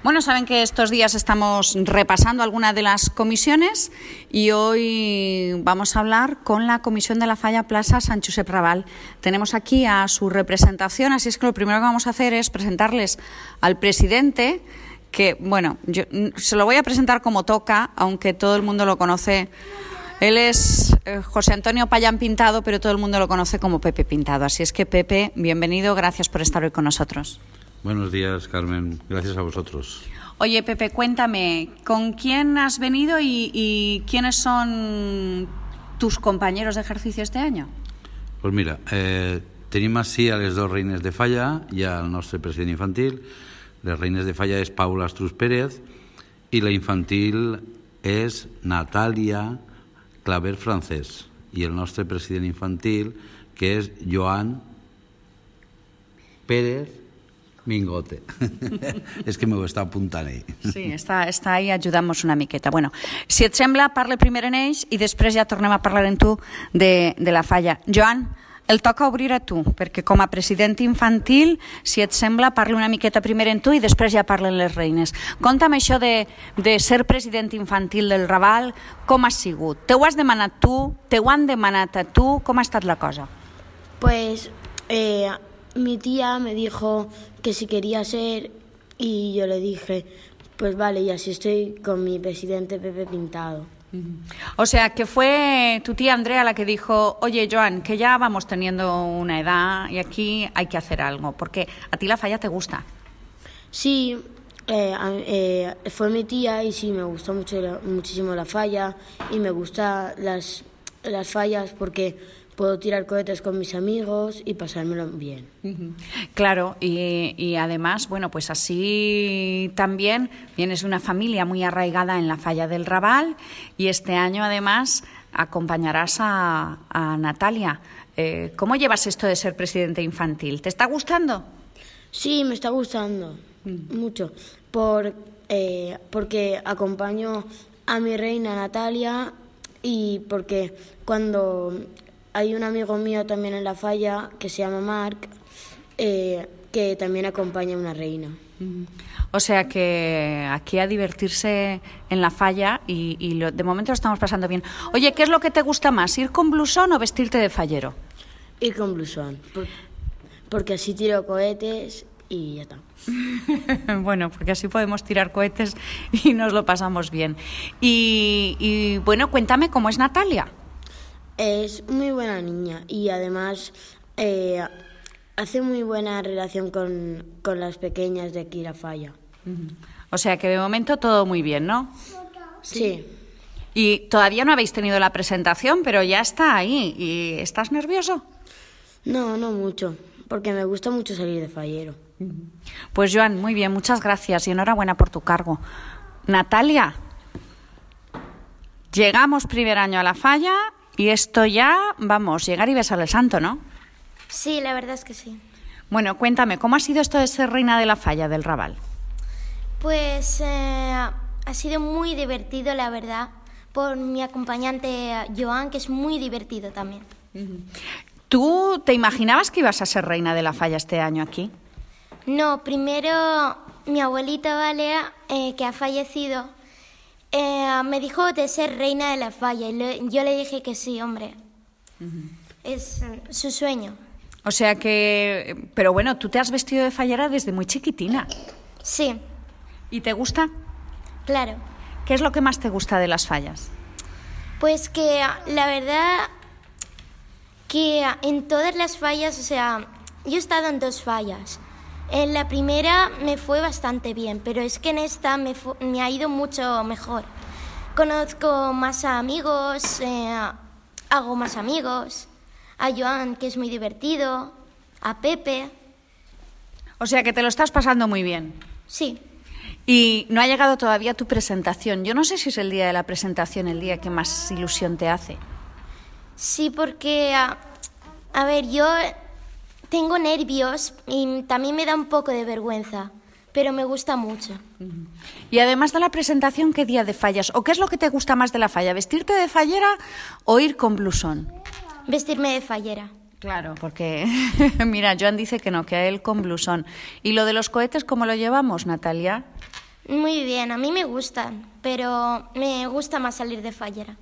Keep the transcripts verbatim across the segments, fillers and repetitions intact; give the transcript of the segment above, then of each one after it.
Bueno, saben que estos días estamos repasando algunas de las comisiones y hoy vamos a hablar con la Comisión de la Falla Plaza Sant Josep Raval. Tenemos aquí a su representación, así es que lo primero que vamos a hacer es presentarles al presidente, que, bueno, yo se lo voy a presentar como toca, aunque todo el mundo lo conoce. Él es eh, José Antonio Payán Pintado, pero todo el mundo lo conoce como Pepe Pintado. Así es que, Pepe, bienvenido, gracias por estar hoy con nosotros. Buenos días, Carmen. Gracias a vosotros. Oye, Pepe, cuéntame, ¿con quién has venido y, y quiénes son tus compañeros de ejercicio este año? Pues mira, eh, tenim així a les dos reines de Falla i al nostre president infantil. Les reines de Falla és Paula Astruz Pérez i la infantil és Natàlia Claver Francés i el nostre president infantil, que és Joan Pérez Mingote. És que m'ho està apuntant ell. Sí, està, està ahí, ajudant-nos una miqueta. Bueno, si et sembla, parla primer en ells i després ja tornem a parlar en tu de, de la Falla. Joan, el toca obrir a tu, perquè com a president infantil, si et sembla, parla una miqueta primer en tu i després ja parlen les reines. Conta'm això de, de ser president infantil del Raval, com ha sigut? Te ho has demanat tu? Te ho han demanat a tu? Com ha estat la cosa? Pues eh, mi tía me dijo que si quería ser y yo le dije, pues vale, y así estoy con mi presidente Pepe Pintado. O sea, que fue tu tía Andrea la que dijo, oye, Joan, que ya vamos teniendo una edad y aquí hay que hacer algo, porque a ti la Falla te gusta. Sí, eh, eh, fue mi tía y sí, me gustó mucho, muchísimo la Falla y me gustan las, las fallas porque puedo tirar cohetes con mis amigos y pasármelo bien. Claro, y, y además, bueno, pues así también vienes de una familia muy arraigada en la Falla del Raval y este año además acompañarás a, a Natalia. Eh, ¿Cómo llevas esto de ser presidente infantil? ¿Te está gustando? Sí, me está gustando mm. mucho, por, eh, porque acompaño a mi reina Natalia y porque cuando hay un amigo mío también en la Falla que se llama Marc, eh, que también acompaña a una reina. O sea que aquí a divertirse en la Falla y, y lo, de momento lo estamos pasando bien. Oye, ¿qué es lo que te gusta más, ir con blusón o vestirte de fallero? Ir con blusón, por, porque así tiro cohetes y ya está. Bueno, porque así podemos tirar cohetes y nos lo pasamos bien. Y, y bueno, cuéntame cómo es Natalia. Es muy buena niña y además eh, hace muy buena relación con, con las pequeñas de aquí la Falla. O sea que de momento todo muy bien, ¿no? Sí. Y todavía no habéis tenido la presentación, pero ya está ahí. ¿Y estás nervioso? No, no mucho, porque me gusta mucho salir de fallero. Pues Joan, muy bien, muchas gracias y enhorabuena por tu cargo. Natalia, llegamos primer año a la Falla. Y esto ya, vamos, llegar y besar al santo, ¿no? Sí, la verdad es que sí. Bueno, cuéntame, ¿cómo ha sido esto de ser reina de la Falla del Raval? Pues eh, ha sido muy divertido, la verdad, por mi acompañante Joan, que es muy divertido también. ¿Tú te imaginabas que ibas a ser reina de la Falla este año aquí? No, primero mi abuelita Valea, eh, que ha fallecido, Eh, me dijo de ser reina de la Falla y le, yo le dije que sí, hombre. Uh-huh. Es uh, su sueño. O sea que... Pero bueno, tú te has vestido de fallera desde muy chiquitina. Sí. ¿Y te gusta? Claro. ¿Qué es lo que más te gusta de las fallas? Pues que la verdad que en todas las fallas, o sea, yo he estado en dos fallas. En la primera me fue bastante bien, pero es que en esta me, fu- me ha ido mucho mejor. Conozco más amigos, eh, hago más amigos, a Joan, que es muy divertido, a Pepe. O sea que te lo estás pasando muy bien. Sí. Y no ha llegado todavía tu presentación. Yo no sé si es el día de la presentación el día que más ilusión te hace. Sí, porque, a, a ver, yo... tengo nervios y también me da un poco de vergüenza, pero me gusta mucho. Y además de la presentación, ¿qué día de fallas? ¿O qué es lo que te gusta más de la Falla? ¿Vestirte de fallera o ir con blusón? Vestirme de fallera. Claro, porque mira, Joan dice que no, que a él con blusón. ¿Y lo de los cohetes cómo lo llevamos, Natalia? Muy bien, a mí me gustan, pero me gusta más salir de fallera.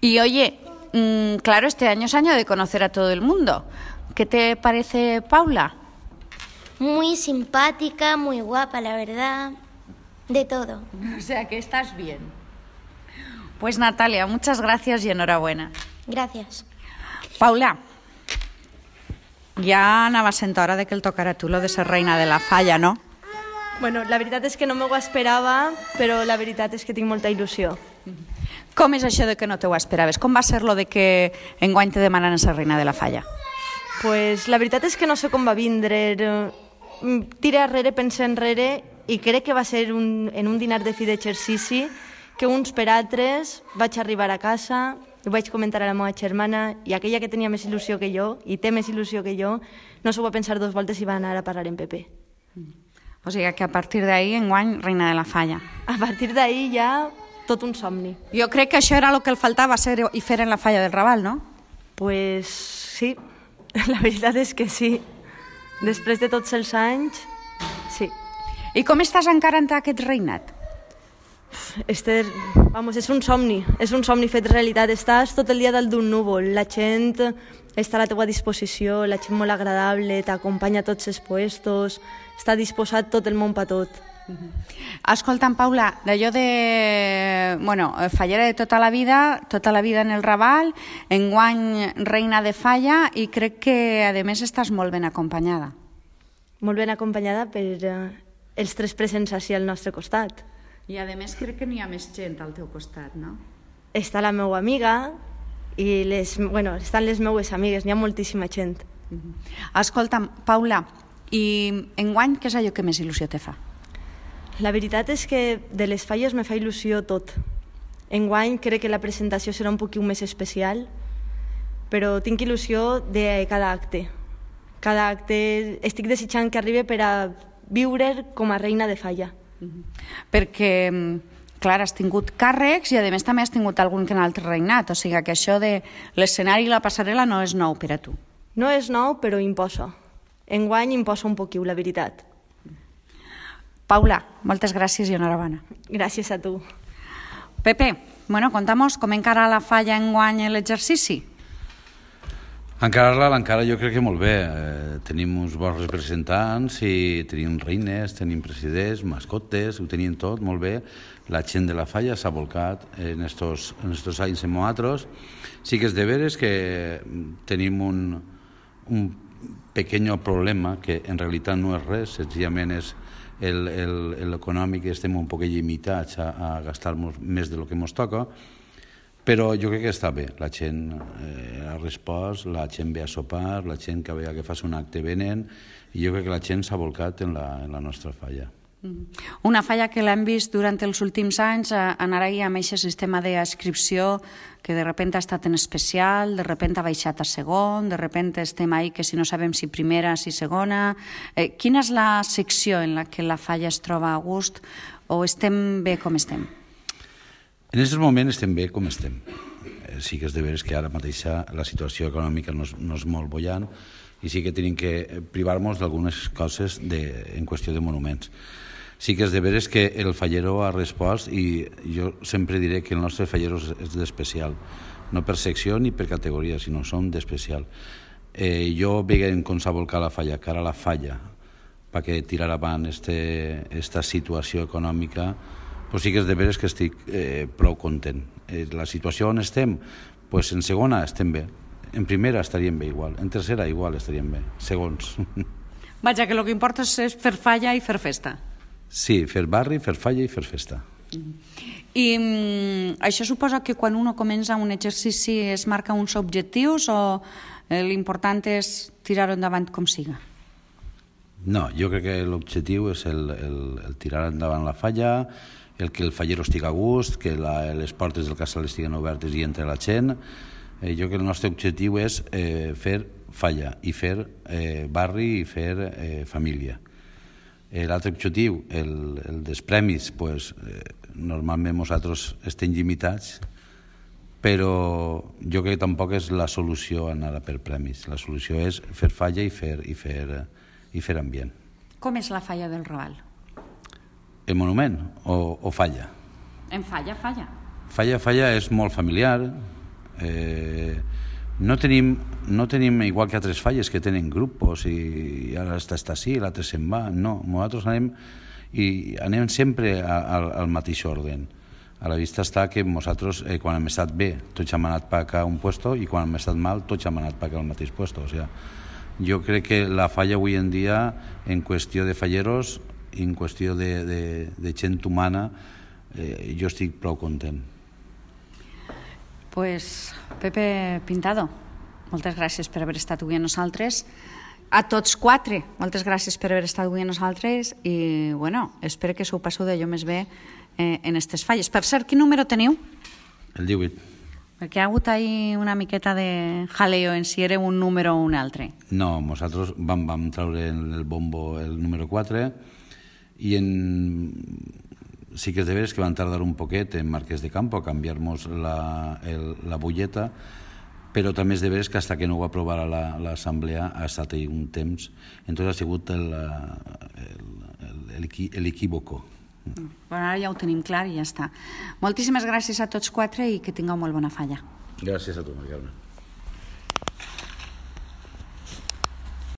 Y oye, mmm, claro, este año es año de conocer a todo el mundo. ¿Qué te parece Paula? Muy simpática, muy guapa, la verdad, de todo. O sea que estás bien. Pues Natalia, muchas gracias y enhorabuena. Gracias. Paula, ja anava sent hora de que el tocara tu lo de ser reina de la falla, no? Bueno, la veritat és que no m'ho esperava, però la veritat és que tinc molta il·lusió. Com és això de que no te ho esperaves? Com va ser lo de que enguany te demanen ser reina de la falla? Pues la veritat és que no sé com va vindre. Tira enrere, pensa enrere, i crec que va ser un, en un dinar de fi d'exercici que uns per altres vaig arribar a casa, ho vaig comentar a la meva germana, i aquella que tenia més il·lusió que jo, i té més il·lusió que jo, no s'ho va pensar dos voltes i va anar a parar en Pepe. O sigui que a partir d'ahir, enguany, reina de la falla. A partir d'ahir ja tot un somni. Jo crec que això era el que el faltava ser i fer en la falla del Raval, no? Pues sí, la veritat és que sí. Després de tots els anys, sí. I com estàs encara en aquest reinat? Esther, vamos, és un somni, és un somni fet realitat. Estàs tot el dia dalt d'un núvol, la gent està a la teva disposició, la gent molt agradable, t'acompanya a tots els puestos, està disposat tot el món per tot. Escolta'm, Paula, d'allò de... Bueno, fallera de tota la vida, tota la vida en el Raval, enguany reina de falla, i crec que, a més, estàs molt ben acompanyada. Molt ben acompanyada per eh, els tres presents així al nostre costat. I, a més, crec que n'hi ha més gent al teu costat, no? Està la meva amiga i les, bueno, estan les meues amigues, n'hi ha moltíssima gent. Escolta'm, Paula, i enguany què és allò que més il·lusió te fa? La veritat és que de les falles me fa il·lusió tot. Enguany crec que la presentació serà un poquet més especial, però tinc il·lusió de cada acte. Cada acte estic desitjant que arribi per a viure com a reina de falla. Perquè, clar, has tingut càrrecs i, a més, també has tingut algun que en altre regnat. O sigui que això de l'escenari i la passarel·la no és nou per a tu. No és nou, però imposa. Enguany imposa un poquet, la veritat. Paula, moltes gràcies i enhorabona. Gràcies a tu. Pepe, bueno, contamos com encara la falla enguany l'exercici. Encarar-la, l'encara jo crec que molt bé. Eh, tenim uns bons representants i tenim reines, tenim presidents, mascotes, ho tenim tot molt bé. La gent de la falla s'ha volcat en estos, en estos anys en nosaltres. Sí que és de veres que tenim un, un pequeño problema que en realitat no és res, senzillament és l'econòmic, estem un poc limitats a, a gastar-nos més de lo que ens toca, però jo crec que està bé, la gent eh, ha respost, la gent ve a sopar, la gent que veia que fas un acte venen, i jo crec que la gent s'ha volcat en la, en la nostra falla. Una falla que l'hem vist durant els últims anys anar ahí amb aquest sistema d'adscripció que de repente ha estat en especial, de repente ha baixat a segon, de repente estem ahí que si no sabem si primera, si segona. Eh, quina és la secció en la que la falla es troba a gust o estem bé com estem? En aquest moment estem bé com estem. Sí que és de veres que ara mateix la situació econòmica no és, no és molt bollant i sí que tenim que privar-nos d'algunes coses de, en qüestió de monuments. Sí que és de veres que el fallero ha respost i jo sempre diré que el nostre fallero és d'especial, no per secció ni per categoria, sinó som d'especial. Eh, jo veient com s'ha volcat la falla, cara a la falla, perquè tirar avant este, esta situació econòmica, pues sí que és de veres que estic eh, prou content. Eh, la situació on estem, pues en segona estem bé, en primera estaríem bé igual, en tercera igual estaríem bé, segons. Vaja, que el que importa és fer falla i fer festa. Sí, fer barri, fer falla i fer festa. I mm, això suposa que quan uno comença un exercici es marca uns objectius o eh, l'important és tirar-ho endavant com siga? No, jo crec que l'objectiu és el, el, el tirar endavant la falla, el que el fallero estigui a gust, que la, les portes del casal estiguen obertes i entre la gent. Eh, jo crec que el nostre objectiu és eh, fer falla i fer eh, barri i fer eh, família. Eh, L'altre objectiu, el, el dels premis, pues, eh, normalment nosaltres estem limitats, però jo crec que tampoc és la solució anar per premis. La solució és fer falla i fer, i fer, i fer ambient. Com és la falla del Raval? El monument o, o Falla? En Falla, Falla. Falla, Falla és molt familiar. Eh, no, tenim, no tenim, igual que altres falles, que tenen grupos i, i ara està, està així, l'altre se'n va. No, nosaltres anem, i anem sempre al, al mateix orden. A la vista està que nosaltres, eh, quan hem estat bé, tots hem anat per a un puesto, i quan hem estat mal, tots hem anat per al mateix puesto. O sea, jo crec que la Falla avui en dia, en qüestió de falleros, en qüestió de, de, de gent humana, eh, jo estic prou content. Pues, Pepe Pintado, moltes gràcies per haver estat avui amb nosaltres. A tots quatre, moltes gràcies per haver estat avui amb nosaltres i, bueno, espero que s'ho passeu d'allò més bé eh, en aquestes falles. Per cert, quin número teniu? El divuit. Perquè ha hagut ahí una miqueta de jaleo en si era un número o un altre. No, nosaltres vam, vam treure en el bombo el número quatre i en... sí que és de veres que van tardar un poquet en Marquès de Campo a canviar-nos la, el, la butlleta, però també és de veres que fins que no ho aprovarà l'assemblea ha estat ahí un temps. Entonces ha sigut l'equívoco. Bueno, ara ja ho tenim clar i ja està. Moltíssimes gràcies a tots quatre i que tingueu molt bona falla. Gràcies a tu, Maria Carme.